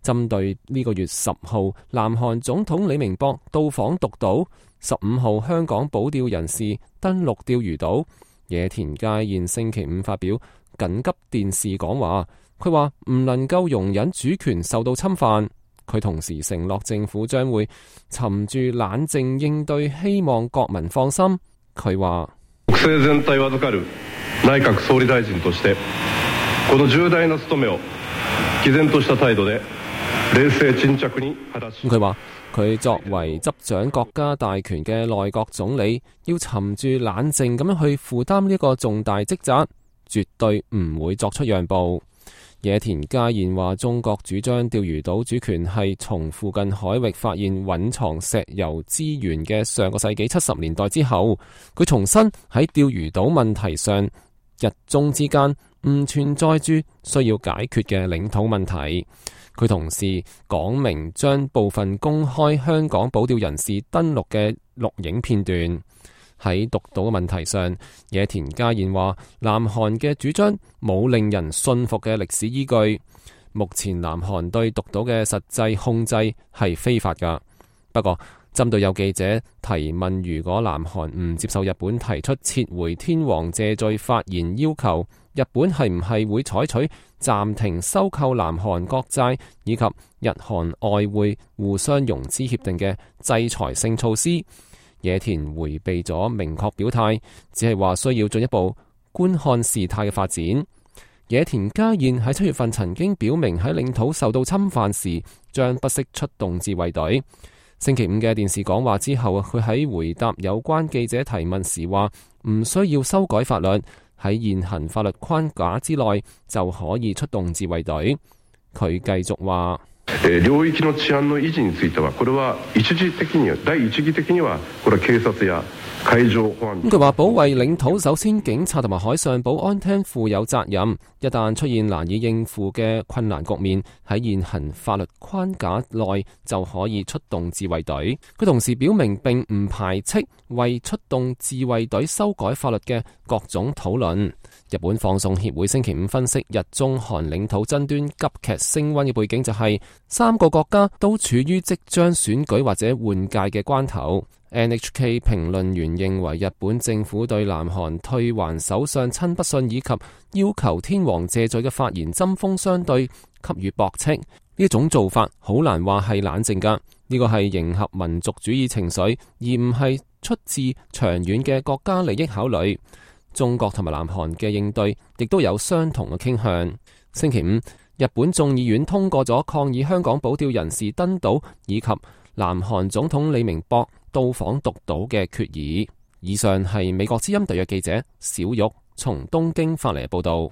針對呢個月10號南韓總統李明博到訪獨島，15號香港保釣人士登陸釣魚島，野田佳彥星期五發表緊急電視講話，佢話唔能夠容忍主權受到侵犯。佢同時承諾政府將會沉住冷靜應對，希望國民放心。佢話國政全體を預かる內閣総理大臣としてこの重大な務めを毅然とした態度で冷靜沈着に果たし。佢話佢作為執掌國家大權嘅內閣總理，要沉住冷靜咁樣去負擔呢個重大職責，絕對唔會作出讓步。野田佳彥話：中國主張釣魚島主權係從附近海域發現蘊藏石油資源嘅上個世紀70年代之後，佢重申喺釣魚島問題上，日中之間唔存在住需要解決嘅領土問題。佢同時講明將部分公開香港保釣人士登陸嘅錄影片段。喺獨島嘅問題上，野田佳彥話南韓嘅主張冇令人信服嘅歷史依據。目前南韓對獨島嘅實際控制係非法㗎。不過，針對有記者提問，如果南韓唔接受日本提出撤回天皇謝罪發言要求，日本係唔係會採取暫停收購南韓國債以及日韓外匯互相融資協定嘅制裁性措施？野田迴避咗明確表態，只係話需要進一步觀看事態嘅發展。野田佳彥喺7月份曾經表明喺領土受到侵犯時將不惜出動自衛隊。星期五嘅電視講話之後，佢喺回答有關記者提問時話唔需要修改法律，喺現行法律框架之內就可以出動自衛隊。佢繼續話領域の治安の維持についてはこれは第一義的にはこれは警察や海上保安。佢話保衛領土首先警察同埋海上保安廳負有責任，一旦出現難以應付嘅困難局面，喺現行法律框架內就可以出動自衛隊。佢同時表明並唔排斥為出動自衛隊修改法律嘅各種討論。日本放送協會星期五分析日中韓領土爭端急劇升溫嘅背景就係3個國家都處於即將選舉或者換屆嘅關頭。NHK 評論員認為日本政府對南韓退還首相親不信以及要求天皇謝罪嘅發言針鋒相對，給予駁斥。呢種做法好難話係冷靜㗎，呢個係迎合民族主義情緒，而唔係出自長遠嘅國家利益考慮。中國同埋南韓嘅應對亦都有相同嘅傾向。星期五，日本眾議院通過咗抗議香港保釣人士登島以及南韓總統李明博到訪獨島嘅決議。以上係美國之音特約記者小玉從東京發嚟嘅報道。